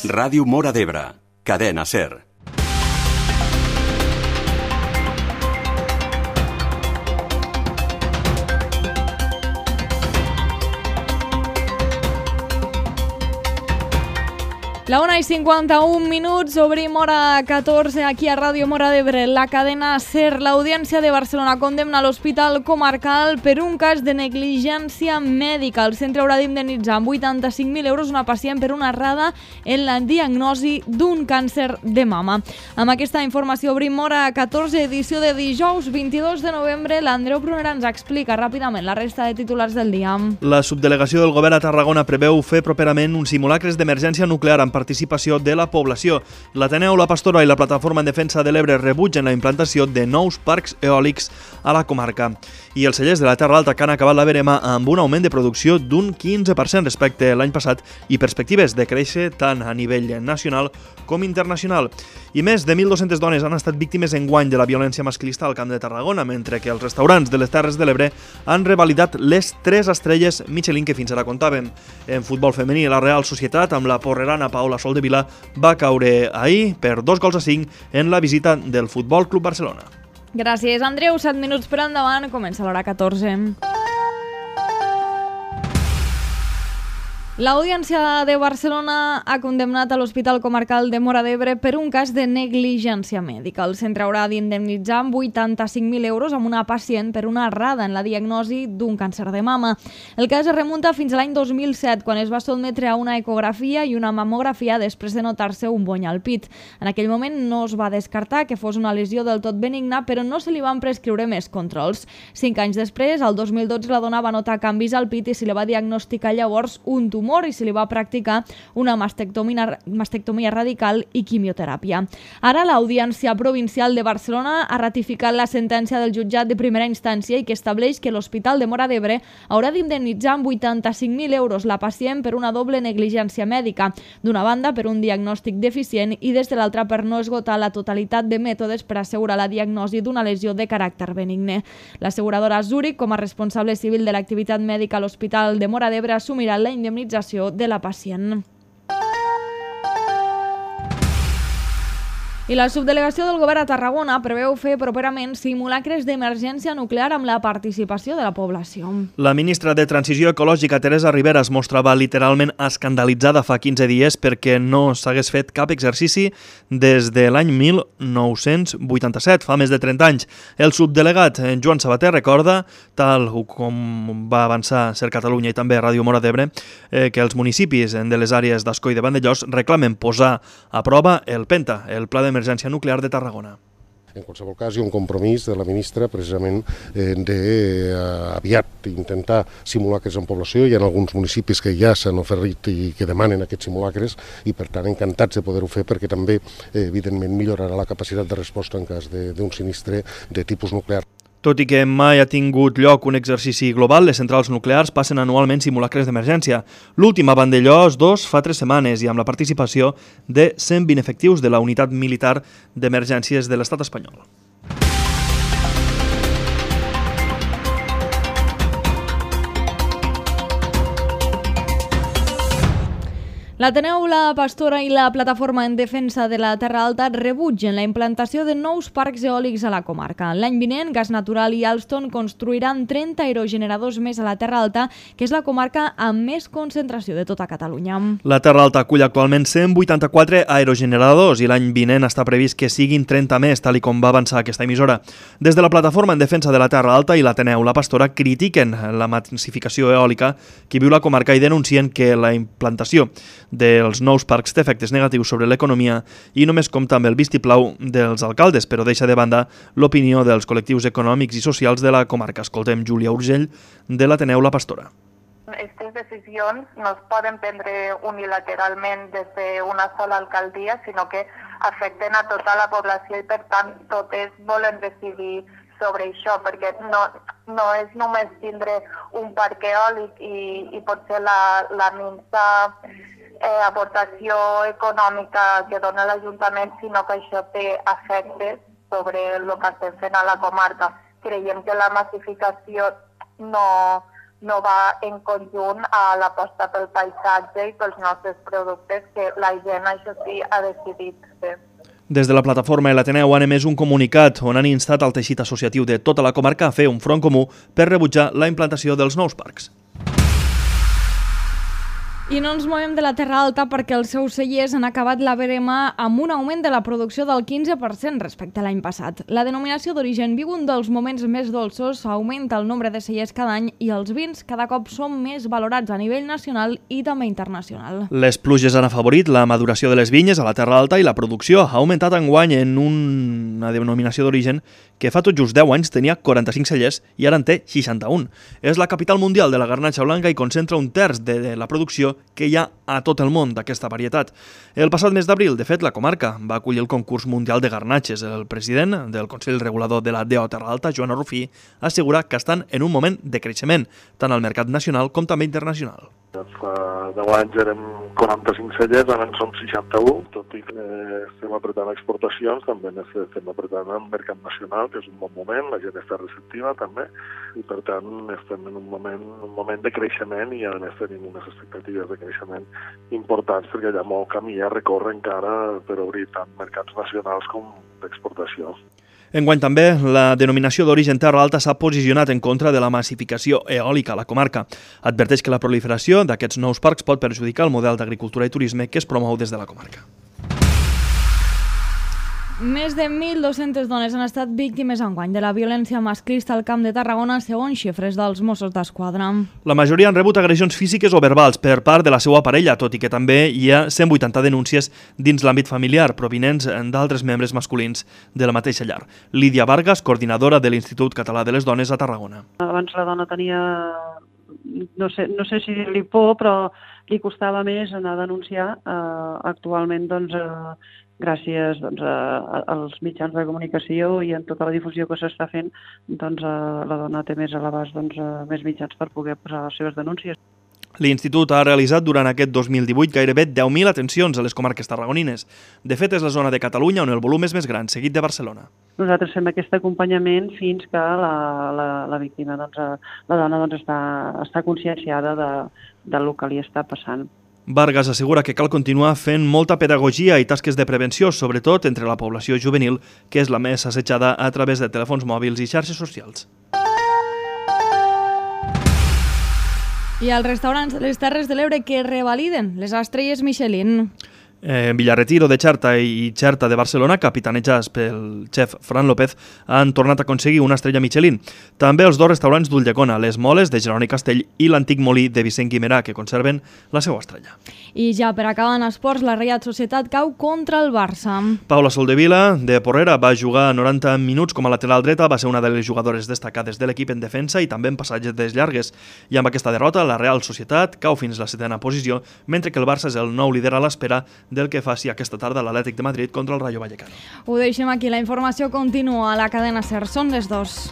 Ràdio Móra d'Ebre, cadena SER. La 1:51, obrim hora 14 aquí a Ràdio Móra d'Ebre, la cadena SER. L'Audiència de Barcelona condemna l'Hospital Comarcal per un cas de negligència mèdica. El centre haurà d'indemnitzar amb 85.000 euros una pacient per una errada en la diagnosi d'un càncer de mama. Amb aquesta informació obrim hora 14, edició de dijous 22 de novembre. L'Andreu Brunera ens explica ràpidament la resta de titulars del dia. La subdelegació del govern a Tarragona preveu fer properament uns simulacres d'emergència nuclear amb participació de la població. L'Ateneu, la Pastora i la Plataforma en Defensa de l'Ebre rebutgen la implantació de nous parcs eòlics a la comarca. I els cellers de la Terra Alta que han acabat la verema amb un augment de producció d'un 15% respecte a l'any passat i perspectives de créixer tant a nivell nacional com internacional. I més de 1.200 dones han estat víctimes enguany de la violència masclista al Camp de Tarragona, mentre que els restaurants de les Terres de l'Ebre han revalidat les 3 estrelles Michelin que fins ara comptaven. En futbol femení, la Real Societat, amb la porrerana Paula Soldevila, va caure ahir per 2-5 en la visita del Futbol Club Barcelona. Gràcies, Andreu. 7 minuts per endavant, comença l'hora 14. L'Audiència de Barcelona ha condemnat a l'Hospital Comarcal de Móra d'Ebre per un cas de negligència mèdica. El centre haurà d'indemnitzar amb 85.000 euros amb una pacient per una errada en la diagnosi d'un càncer de mama. El cas es remunta fins a l'any 2007, quan es va sotmetre a una ecografia i una mamografia després de notar-se un bony al pit. En aquell moment no es va descartar que fos una lesió del tot benigna, però no se li van prescriure més controls. 5 anys després, el 2012, la dona va notar canvis al pit i se li va diagnosticar llavors un tumor i se li va practicar una mastectomia radical i quimioteràpia. Ara l'Audiència Provincial de Barcelona ha ratificat la sentència del jutjat de primera instància i que estableix que l'Hospital de Móra d'Ebre haurà d'indemnitzar amb 85.000 euros la pacient per una doble negligència mèdica. D'una banda, per un diagnòstic deficient i des de l'altra per no esgotar la totalitat de mètodes per assegurar la diagnosi d'una lesió de caràcter benigne. L'asseguradora Zurich, com a responsable civil de l'activitat mèdica a l'Hospital de Móra d'Ebre, assumirà la indemnització de la pacient. I la subdelegació del govern a Tarragona preveu fer properament simulacres d'emergència nuclear amb la participació de la població. La ministra de Transició Ecològica, Teresa Ribera, es mostrava literalment escandalitzada fa 15 dies perquè no s'hagués fet cap exercici des de l'any 1987, fa més de 30 anys. El subdelegat Joan Sabater recorda, tal com va avançar SER Catalunya i també Ràdio Móra d'Ebre, que els municipis de les àrees d'Ascó i de Vandellòs reclamen posar a prova el PENTA, el Pla d'Emergència Nuclear de Tarragona. En qualsevol cas, hi ha un compromís de la ministra precisament d'aviat intentar simulacres en població. Hi ha alguns municipis que ja s'han oferit i que demanen aquests simulacres i, per tant, encantats de poder-ho fer perquè també, evidentment, millorarà la capacitat de resposta en cas d'un sinistre de tipus nuclear. Tot i que mai ha tingut lloc un exercici global, les centrals nuclears passen anualment simulacres d'emergència. L'últim a Vandellòs 2 fa 3 setmanes i amb la participació de 120 efectius de la Unitat Militar d'Emergències de l'Estat espanyol. L'Ateneu, la Pastora i la Plataforma en Defensa de la Terra Alta rebutgen la implantació de nous parcs eòlics a la comarca. L'any vinent, Gas Natural i Alstom construiran 30 aerogeneradors més a la Terra Alta, que és la comarca amb més concentració de tota Catalunya. La Terra Alta acull actualment 184 aerogeneradors i l'any vinent està previst que siguin 30 més, tal com va avançar aquesta emissora. Des de la Plataforma en Defensa de la Terra Alta i l'Ateneu, la Pastora, critiquen la massificació eòlica que viu la comarca i denuncien que la implantació dels nous parcs té efectes negatius sobre l'economia i només compta amb el vistiplau dels alcaldes, però deixa de banda l'opinió dels col·lectius econòmics i socials de la comarca. Escoltem Júlia Urgell, de l'Ateneu La Pastora. Aquestes decisions no es poden prendre unilateralment des d'una sola alcaldia, sinó que afecten a tota la població i, per tant, totes volen decidir sobre això, perquè no és només tindre un parc eòlic i potser la minsa aportació econòmica que dona l'Ajuntament, sinó que això té efectes sobre el que estem fent a la comarca. Creiem que la massificació no no va en conjunt a l'aposta pel paisatge i pels nostres productes, que la gent, això sí, ha decidit fer. Des de la plataforma l'Ateneu han emès un comunicat on han instat el teixit associatiu de tota la comarca a fer un front comú per rebutjar la implantació dels nous parcs. I no ens movem de la Terra Alta perquè els seus cellers han acabat la verema amb un augment de la producció del 15% respecte a l'any passat. La denominació d'origen viu un dels moments més dolços, augmenta el nombre de cellers cada any i els vins cada cop són més valorats a nivell nacional i també internacional. Les pluges han afavorit la maduració de les vinyes a la Terra Alta i la producció ha augmentat enguany en una denominació d'origen que fa tot just 10 anys tenia 45 cellers i ara en té 61. És la capital mundial de la garnatxa blanca i concentra un terç de la producció que hi ha a tot el món d'aquesta varietat. El passat mes d'abril, de fet, la comarca va acollir el concurs mundial de garnatxes. El president del Consell Regulador de la DO Terra Alta, Joan Arrufí, assegura que estan en un moment de creixement, tant al mercat nacional com també internacional. Fa 10 anys érem 45 cellers, ara en som 61, tot i que estem apretant exportacions, també estem apretant el mercat nacional, que és un bon moment, la gent està receptiva també, i per tant estem en un moment de creixement i a més tenim unes expectatives de creixement importants perquè hi ha molt camí a recórrer encara per obrir tant mercats nacionals com d'exportació. Enguany també, la denominació d'origen Terra Alta s'ha posicionat en contra de la massificació eòlica a la comarca. Adverteix que la proliferació d'aquests nous parcs pot perjudicar el model d'agricultura i turisme que es promou des de la comarca. Més de 1.200 dones han estat víctimes enguany de la violència masclista al Camp de Tarragona, segons xifres dels Mossos d'Esquadra. La majoria han rebut agressions físiques o verbals per part de la seva parella, tot i que també hi ha 180 denúncies dins l'àmbit familiar, provinents d'altres membres masculins de la mateixa llar. Lídia Vargas, coordinadora de l'Institut Català de les Dones a Tarragona. Abans la dona tenia, no sé si dir-li por, però li costava més anar a denunciar. Actualment, gràcies als mitjans de comunicació i en tota la difusió que s'està fent, la dona té més a l'abast més mitjans per poder posar les seves denúncies. L'Institut ha realitzat durant aquest 2018 gairebé 10.000 atencions a les comarques tarragonines. De fet, és la zona de Catalunya on el volum és més gran, seguit de Barcelona. Nosaltres fem aquest acompanyament fins que la víctima, la dona, està conscienciada del que li està passant. Vargas assegura que cal continuar fent molta pedagogia i tasques de prevenció, sobretot entre la població juvenil, que és la més assetjada a través de telèfons mòbils i xarxes socials. I els restaurants de les Terres de l'Ebre que revaliden les estrelles Michelin. Villarretiro de Xerta i Xerta de Barcelona, capitanejats pel xef Fran López, han tornat a aconseguir una estrella Michelin. També els dos restaurants d'Ulldecona, Les Moles de Jeroni Castell i l'antic molí de Vicent Guimerà, que conserven la seva estrella. I ja per acabar en esports, la Reial Societat cau contra el Barça. Paula Soldevila, de Porrera, va jugar 90 minuts com a lateral dreta, va ser una de les jugadores destacades de l'equip en defensa i també en passatges llargues. I amb aquesta derrota, la Real Societat cau fins a la 7a posició, mentre que el Barça és el nou líder a l'espera del que faci aquesta tarda l'Atlètic de Madrid contra el Rayo Vallecano. Ho deixem aquí, la informació continua a la cadena SER. Són les 2.